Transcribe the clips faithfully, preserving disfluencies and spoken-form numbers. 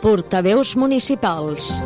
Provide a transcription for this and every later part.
Portaveus municipals.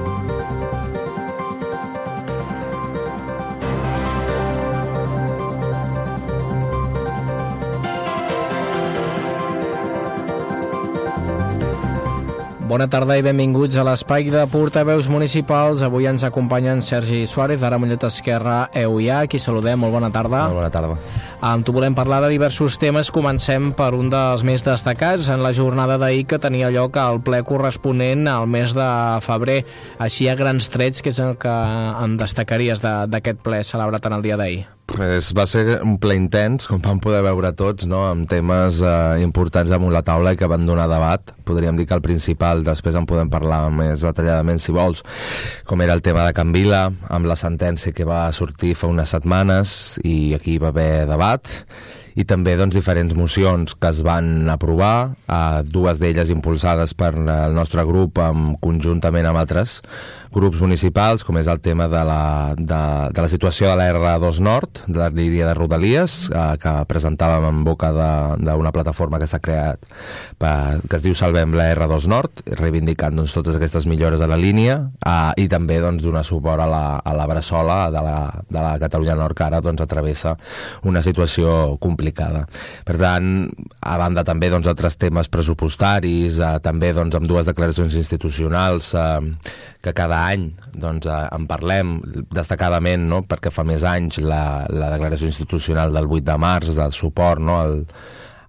Bona tarda i benvinguts a l'espai de Portaveus municipals. Avui ens acompanyen Sergi Suárez, d'Ara Mollet Esquerra, E U I A. Aquí saludem, molt bona tarda. Molt bona tarda. Amb tu volem parlar de diversos temes. Comencem per un dels més destacats en la jornada d'ahir, que tenia lloc al ple corresponent al mes de febrer. Així, a grans trets, que és el que en destacaries d'aquest ple celebrat en el dia d'ahir? Pues va ser un ple intens, com vam poder veure tots, no? Amb temes eh, importants damunt la taula i que van donar debat. Podríem dir que el principal, després en podem parlar més detalladament si vols, com era el tema de Can Vila, amb la sentència que va sortir fa unes setmanes, i aquí va haver debat, i també doncs, diferents mocions que es van aprovar, eh, dues d'elles impulsades per el nostre grup amb, conjuntament amb altres grups municipals, com és el tema de la, de, de la situació de la erre dos Nord, de la línia de Rodalies, eh, que presentàvem en boca d'una plataforma que s'ha creat, per, que es diu Salvem la erre dos Nord, reivindicant doncs, totes aquestes millores de la línia, eh, i també doncs, donar suport a la, a la Bressola de la, de la Catalunya Nord, que ara doncs, atravessa una situació complicada. Per tant, a banda també doncs, altres temes pressupostaris, eh, també doncs, amb dues declaracions institucionals eh, que cada any doncs, eh, en parlem destacadament, no? Perquè fa més anys la, la declaració institucional del vuit de març del suport, no? al,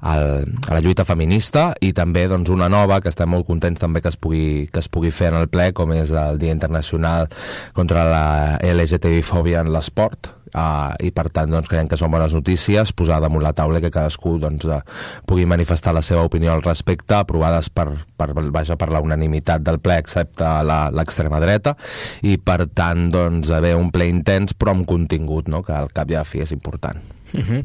al, a la lluita feminista, i també doncs, una nova que estem molt contents també que es pugui, que es pugui fer en el ple, com és el Dia Internacional contra la ele ge te bi-fòbia en l'esport. Uh, i per tant doncs, creiem que són bones notícies posar damunt la taula, que cadascú doncs, uh, pugui manifestar la seva opinió al respecte, aprovades per, per, vaja, per la unanimitat del ple excepte l'extrema dreta, i per tant doncs, haver un ple intens però amb contingut, no? Que al cap i a la fi és important. Uh-huh.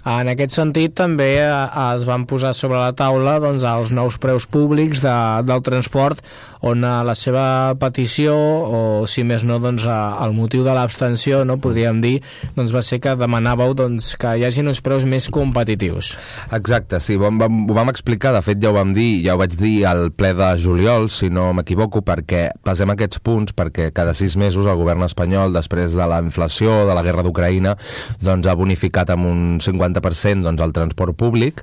En aquest sentit també eh, es van posar sobre la taula doncs, els nous preus públics de, del transport, on eh, la seva petició, o si més no doncs, eh, el motiu de l'abstenció, no, podríem dir, doncs, va ser que demanàveu doncs, que hi hagin uns preus més competitius. Exacte, sí, ho vam, ho vam explicar, de fet ja ho vam dir, ja ho vaig dir al ple de juliol, si no m'equivoco, perquè passem aquests punts, perquè cada sis mesos el govern espanyol, després de la inflació, de la guerra d'Ucraïna, doncs ha bonificat amb un cinquanta per cent doncs, el transport públic,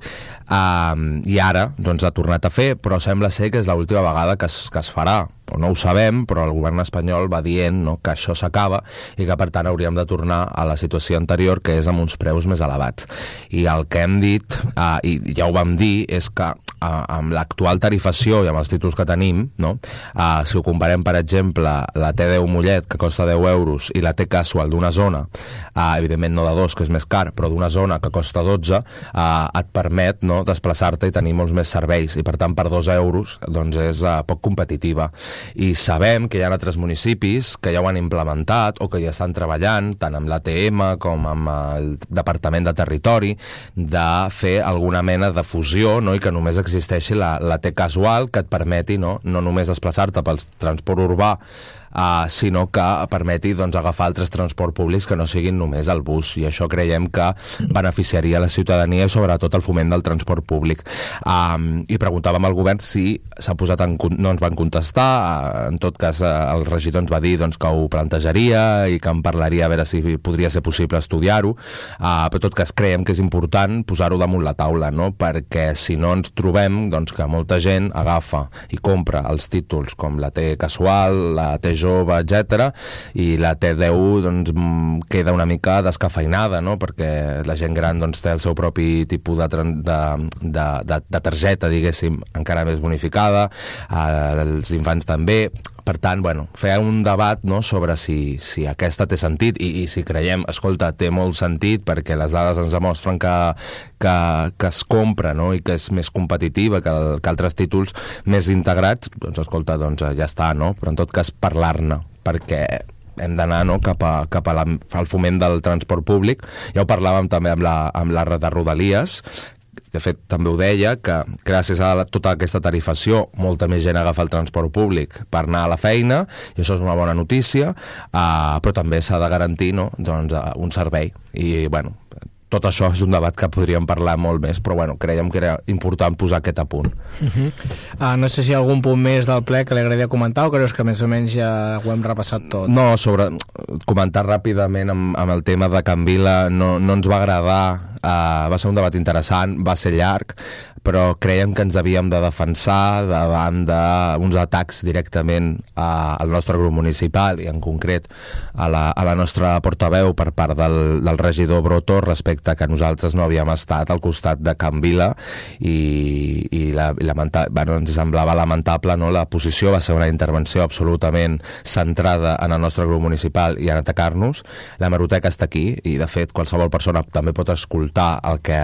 eh, i ara doncs, ha tornat a fer, però sembla ser que és l'última vegada que es, que es farà, o no ho sabem, però el govern espanyol va dient, no, que això s'acaba i que per tant hauríem de tornar a la situació anterior, que és amb uns preus més elevats. I el que hem dit, eh, i ja ho vam dir, és que eh, amb l'actual tarifació i amb els títols que tenim, no, eh, si ho comparem, per exemple, la te deu Mollet, que costa deu euros, i la te Casual d'una zona, eh, evidentment no de dos, que és més car, però d'una zona que costa dotze, eh, et permet, no, desplaçar-te i tenir molts més serveis, i per tant per dos euros doncs és eh, poc competitiva. I sabem que hi ha altres municipis que ja ho han implementat o que ja estan treballant, tant amb l'A Te Ema com amb el Departament de Territori, de fer alguna mena de fusió, no? I que només existeixi la, la te Casual, que et permeti no, no només desplaçar-te pel transport urbà, Uh, sinó que permeti doncs, agafar altres transports públics que no siguin només el bus, i això creiem que beneficiaria la ciutadania i sobretot el foment del transport públic. Um, i preguntàvem al govern si s'ha posat en... no ens van contestar, uh, en tot cas uh, el regidor ens va dir doncs, que ho plantejaria i que en parlaria a veure si podria ser possible estudiar-ho, uh, però en tot cas creiem que és important posar-ho damunt la taula, no? Perquè si no ens trobem doncs, que molta gent agafa i compra els títols com la te Casual, la te Jove, etcètera, i la te deu doncs, queda una mica descafeinada, no? Perquè la gent gran doncs, té el seu propi tipus de, de, de, de, de targeta, diguéssim, encara més bonificada, eh, els infants també. Per tant, bueno, fer un debat, no, sobre si, si aquesta té sentit i, i si creiem, escolta, té molt sentit perquè les dades ens demostren que, que, que es compra, no, i que és més competitiva que, el, que altres títols més integrats, doncs escolta, doncs ja està, no? Però en tot cas parlar-ne, perquè hem d'anar no, cap, a, cap a la, al foment del transport públic. Ja ho parlàvem també amb la, amb la de Rodalies, de fet també ho deia, que gràcies a la, tota aquesta tarifació molta més gent agafa el transport públic per anar a la feina, i això és una bona notícia, uh, però també s'ha de garantir no, doncs, uh, un servei, i bueno, tot això és un debat que podríem parlar molt més, però bueno, creiem que era important posar aquest a punt. Uh-huh. uh, no sé si hi ha algun punt més del ple que li agradaria comentar o creus que més o menys ja ho hem repassat tot? No, sobre comentar ràpidament amb, amb el tema de Can Vila, no, no ens va agradar, uh, va ser un debat interessant, va ser llarg, però creiem que ens havíem de defensar davant d'uns atacs directament a, al nostre grup municipal i en concret a la, a la nostra portaveu per part del, del regidor Broto respecte que nosaltres no havíem estat al costat de Can Vila i, i, la, i lamenta, bueno, ens semblava lamentable, no? La posició va ser una intervenció absolutament centrada en el nostre grup municipal i en atacar-nos. La hemeroteca està aquí i de fet qualsevol persona també pot escoltar el que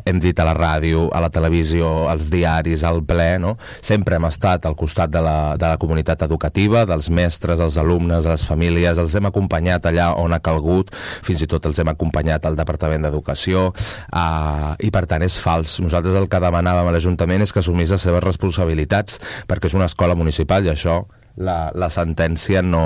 hem dit a la ràdio, a la televisió, als diaris, al ple, no? Sempre hem estat al costat de la, de la comunitat educativa, dels mestres, els alumnes, les famílies, els hem acompanyat allà on ha calgut, fins i tot els hem acompanyat al Departament d'Educació, uh, i per tant és fals. Nosaltres el que demanàvem a l'Ajuntament és que assumís les seves responsabilitats, perquè és una escola municipal i això la, la sentència no...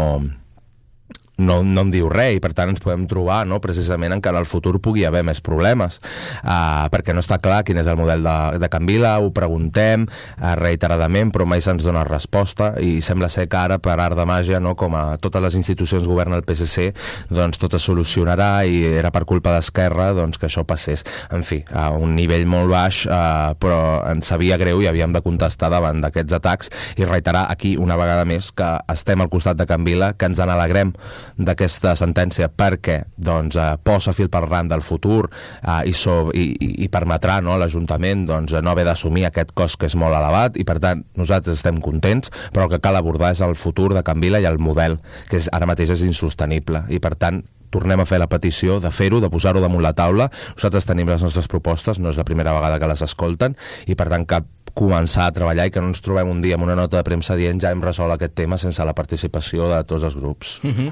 No, no en diu res i per tant ens podem trobar, no? Precisament en que en el futur pugui haver més problemes uh, perquè no està clar quin és el model de, de Can Vila, ho preguntem uh, reiteradament però mai se'ns dona resposta i sembla ser que ara per art de màgia, no? Com a totes les institucions governa el P S C, doncs tot es solucionarà i era per culpa d'Esquerra doncs, que això passés. En fi, a un nivell molt baix, uh, però ens sabia greu i havíem de contestar davant d'aquests atacs i reiterar aquí una vegada més que estem al costat de Can Vila, que ens n'alegrem d'aquesta sentència perquè doncs, eh, posa fil per ram del futur eh, i, so, i, i permetrà, no, a l'Ajuntament doncs, no haver d'assumir aquest cost que és molt elevat i per tant nosaltres estem contents, però el que cal abordar és el futur de Can Vila i el model que és, ara mateix és insostenible i per tant tornem a fer la petició de fer-ho, de posar-ho damunt la taula. Nosaltres tenim les nostres propostes, no és la primera vegada que les escolten i per tant cap començar a treballar i que no ens trobem un dia amb una nota de premsa dient ja hem resolt aquest tema sense la participació de tots els grups. Uh-huh.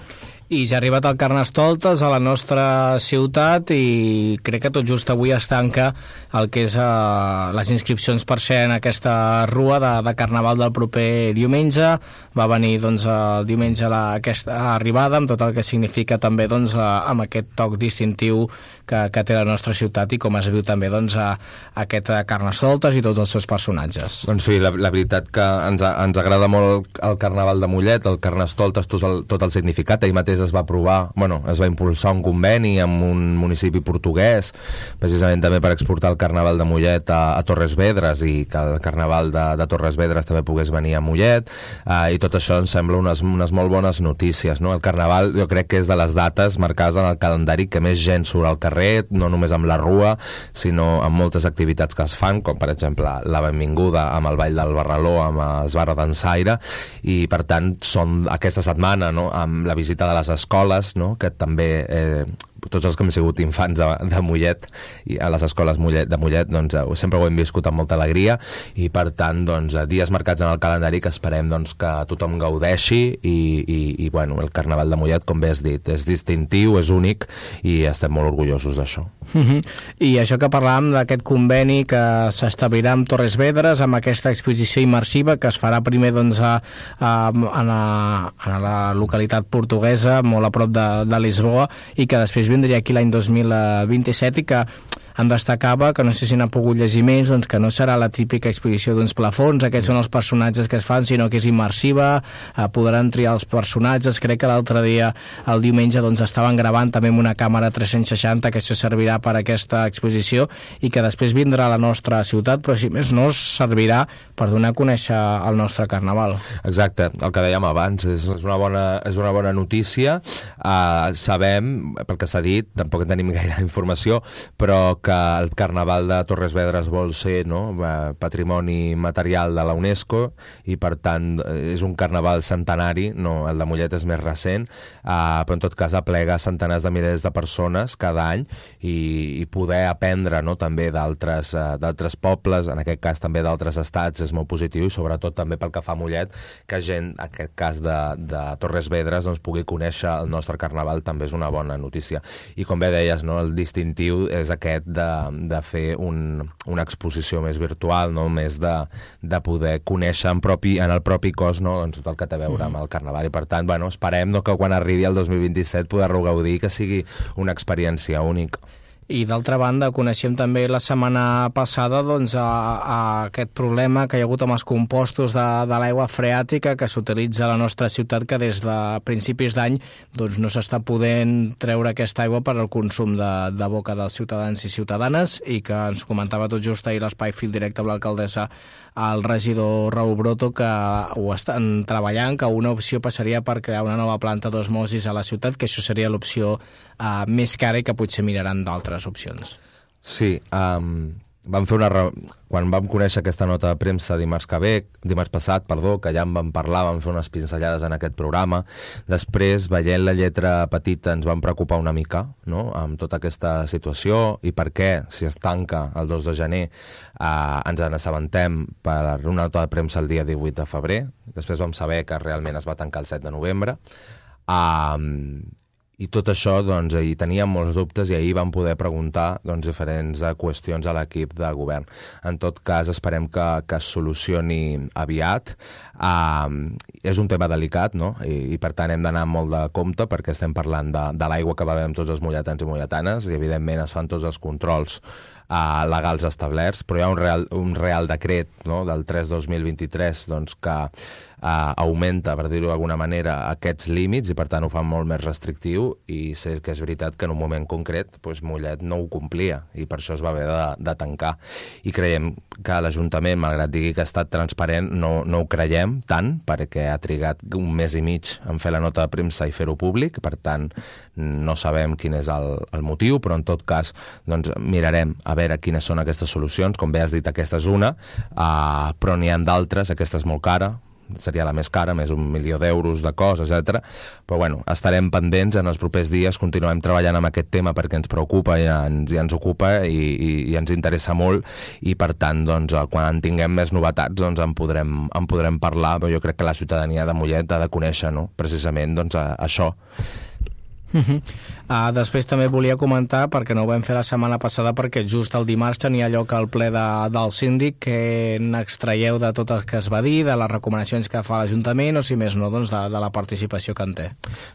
I ja ha arribat el Carnestoltes a la nostra ciutat i crec que tot just avui es tanca el que és uh, les inscripcions per ser en aquesta rua de, de Carnaval del proper diumenge. Va venir doncs, el diumenge la, aquesta arribada amb tot el que significa també doncs, uh, amb aquest toc distintiu que, que té la nostra ciutat i com es viu també doncs, uh, aquest Carnestoltes i tots els seus personatges. Doncs sí, la, la veritat que ens, ens agrada molt el Carnaval de Mollet, el Carnestoltes, tot el, tot el significat. Ahir mateix es va aprovar, bueno, es va impulsar un conveni amb un municipi portuguès, precisament també per exportar el Carnaval de Mollet a, a Torres Vedres i que el Carnaval de, de Torres Vedres també pogués venir a Mollet, eh, i tot això ens sembla unes, unes molt bones notícies, no? El Carnaval jo crec que és de les dates marcades en el calendari que més gent surt al carrer, no només amb la rua, sinó amb moltes activitats que es fan, com per exemple la benvinguda amb el Ball del Barraló, amb els Barra d'Ensaire, i per tant són aquesta setmana, no? Amb la visita de les escoles, no? Que també eh, tots els que hem sigut infants de, de Mollet i a les escoles Mollet, de Mollet doncs, eh, sempre ho hem viscut amb molta alegria i per tant doncs, dies marcats en el calendari que esperem doncs, que tothom gaudeixi i, i, i bueno, el Carnaval de Mollet, com bé has dit, és distintiu, és únic i estem molt orgullosos d'això. Uh-huh. I això que parlàvem d'aquest conveni que s'establirà amb Torres Vedres amb aquesta exposició immersiva que es farà primer doncs, a, a, a, la, a la localitat portuguesa molt a prop de, de Lisboa i que després vindria aquí l'any dos mil vint-i-set i que em destacava, que no sé si n'ha pogut llegir més, doncs que no serà la típica exposició d'uns plafons, aquests són els personatges que es fan, sinó que és immersiva, eh, podran triar els personatges. Crec que l'altre dia, el diumenge, doncs estaven gravant també amb una càmera tres-cents seixanta, que això servirà per a aquesta exposició i que després vindrà a la nostra ciutat, però si més no servirà per donar a conèixer el nostre Carnaval. Exacte, el que dèiem abans, és una bona, és una bona notícia. Uh, sabem, pel que s'ha dit, tampoc en tenim gaire informació, però que que el Carnaval de Torres Vedres vol ser, no, patrimoni material de la UNESCO i per tant és un carnaval centenari, no, el de Mollet és més recent, uh, però en tot cas aplega centenars de milers de persones cada any i, i poder aprendre, no, també d'altres uh, d'altres pobles, en aquest cas també d'altres estats, és molt positiu i sobretot també pel que fa a Mollet, que gent, en aquest cas de, de Torres Vedres, doncs, pugui conèixer el nostre Carnaval també és una bona notícia. I com bé deies, no, el distintiu és aquest de, de fer un, una exposició més virtual, no? Més de, de poder conèixer en, propi, en el propi cos, no? Doncs tot el que té a veure amb el Carnaval. I per tant, bueno, esperem, no, que quan arribi el dos mil vint-i-set poder-ho gaudir, que sigui una experiència única. I d'altra banda, coneixem també la setmana passada doncs, a, a aquest problema que hi ha hagut amb els compostos de, de l'aigua freàtica que s'utilitza a la nostra ciutat, que des de principis d'any doncs, no s'està podent treure aquesta aigua per al consum de, de boca dels ciutadans i ciutadanes, i que ens comentava tot just ahir l'Espai Fil Directe amb l'alcaldessa, el regidor Raül Broto, que ho estan treballant, que una opció passaria per crear una nova planta d'osmosis a la ciutat, que això seria l'opció uh, més cara i que potser miraran d'altres opcions. Sí, um, vam fer una re... quan vam conèixer aquesta nota de premsa dimarts que ve, dimarts passat, perdó, que ja en vam parlar, vam fer unes pinzellades en aquest programa. Després, veient la lletra petita, ens vam preocupar una mica, no?, amb tota aquesta situació i per què, si es tanca el dos de gener, eh, ens en assabentem per una nota de premsa el dia divuit de febrer. Després vam saber que realment es va tancar el set de novembre. Um, I tot això, doncs, hi teníem molts dubtes i ahir vam poder preguntar doncs, diferents qüestions a l'equip de govern. En tot cas, esperem que, que es solucioni aviat. Uh, és un tema delicat, no?, I, i per tant hem d'anar molt de compte perquè estem parlant de, de l'aigua que bevem tots els molletans i molletanes i, evidentment, es fan tots els controls uh, legals establerts, però hi ha un real, un real decret, no?, del tres dos mil vint-i-tres doncs, que Uh, augmenta, per dir-ho d'alguna manera, aquests límits i per tant ho fa molt més restrictiu, i sé que és veritat que en un moment concret doncs, Mollet no ho complia i per això es va haver de, de tancar, i creiem que l'Ajuntament, malgrat digui que ha estat transparent, no, no ho creiem tant perquè ha trigat un mes i mig en fer la nota de premsa i fer-ho públic, per tant no sabem quin és el, el motiu, però en tot cas doncs, mirarem a veure quines són aquestes solucions. Com bé has dit, aquesta és una, uh, però n'hi ha d'altres. Aquesta és molt cara, seria la més cara, més un milió d'euros de cost, etcètera. Però bueno, estarem pendents en els propers dies, continuem treballant amb aquest tema perquè ens preocupa i ens, i ens ocupa i, i, i ens interessa molt, i per tant, doncs, quan en tinguem més novetats doncs en podrem, en podrem parlar, però jo crec que la ciutadania de Mollet ha de conèixer, no?, precisament doncs, a, això. Uh-huh. Uh, després també volia comentar, perquè no ho vam fer la setmana passada perquè just el dimarts tenia lloc el ple de, del síndic, que n'extraieu de tot el que es va dir, de les recomanacions que fa l'Ajuntament, o si més no, doncs de, de la participació que en té.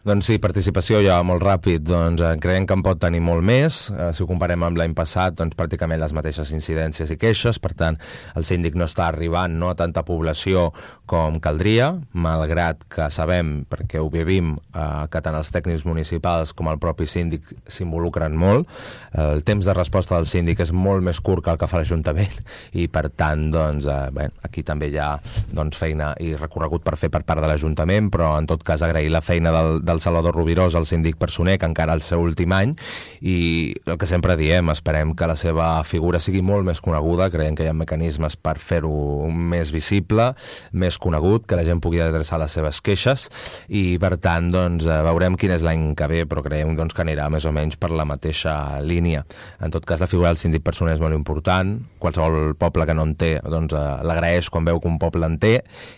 Doncs sí, participació ja molt ràpid, doncs creiem que en pot tenir molt més. Eh, si ho comparem amb l'any passat, doncs pràcticament les mateixes incidències i queixes, per tant el síndic no està arribant, no, a tanta població com caldria, malgrat que sabem, perquè ho vivim, eh, que tant els tècnics municipals com el propi síndic s'involucren molt. El temps de resposta del síndic és molt més curt que el que fa l'Ajuntament i per tant doncs, eh, bé, aquí també hi ha doncs, feina i recorregut per fer per part de l'Ajuntament, però en tot cas agrair la feina del, del Salvador Rubirós, el síndic Personer, que encara el seu últim any, i el que sempre diem, esperem que la seva figura sigui molt més coneguda, creiem que hi ha mecanismes per fer-ho més visible, més conegut, que la gent pugui adreçar les seves queixes, i per tant doncs, veurem quin és l'any que ve, però creiem doncs, que anirà més o menys per la mateixa línia. En tot cas, la figura del síndic Personer és molt important. Qualsevol poble que no en té doncs, l'agraeix quan veu que un poble en té,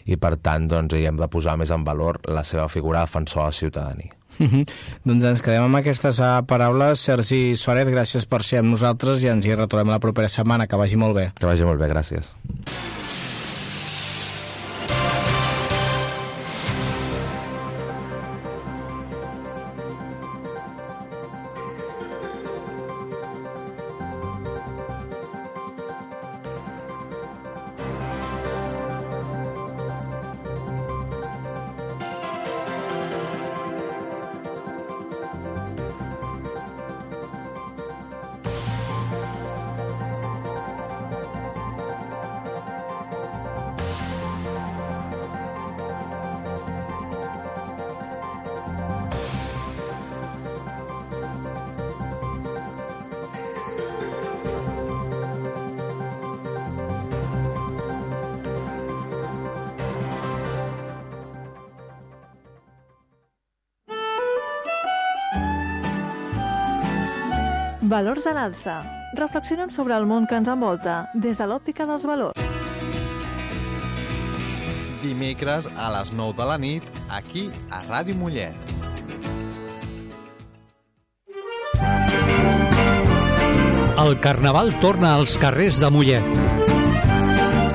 i per tant doncs, hi hem de posar més en valor la seva figura defensor a la ciutadania. Uh-huh. Doncs ens quedem amb aquestes uh, paraules. Sergi Suárez, gràcies per ser amb nosaltres i ens hi retrobem la propera setmana. Que vagi molt bé. Que vagi molt bé, gràcies. Valors a l'alça. Reflexionem sobre el món que ens envolta des de l'òptica dels valors. Dimecres a les nou de la nit, aquí a Ràdio Mollet. El Carnaval torna als carrers de Mollet.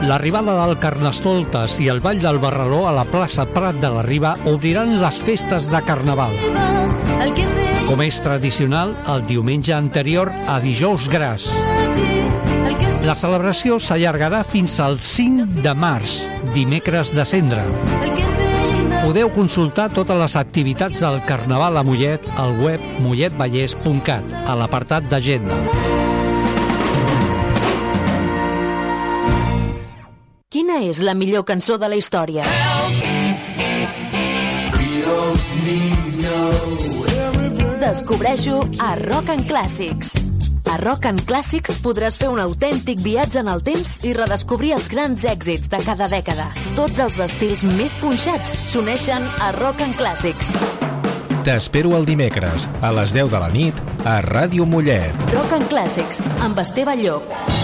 L'arribada del Carnestoltes i el Ball del Barraló a la plaça Prat de la Riba obriran les festes de Carnaval. Com és tradicional, el diumenge anterior a Dijous Gras. La celebració s'allargarà fins al cinc de març, dimecres de Cendra. Podeu consultar totes les activitats del Carnaval a Mollet al web mollet vallès punt cat, a l'apartat d'agenda. Quina és la millor cançó de la història? Descobreixo a Rock and Classics. A Rock and Classics podràs fer un autèntic viatge en el temps i redescobrir els grans èxits de cada dècada. Tots els estils més punxats s'uneixen a Rock and Classics. T'espero el dimecres, a les deu de la nit, a Ràdio Mollet. Rock and Classics, amb Esteve Llop.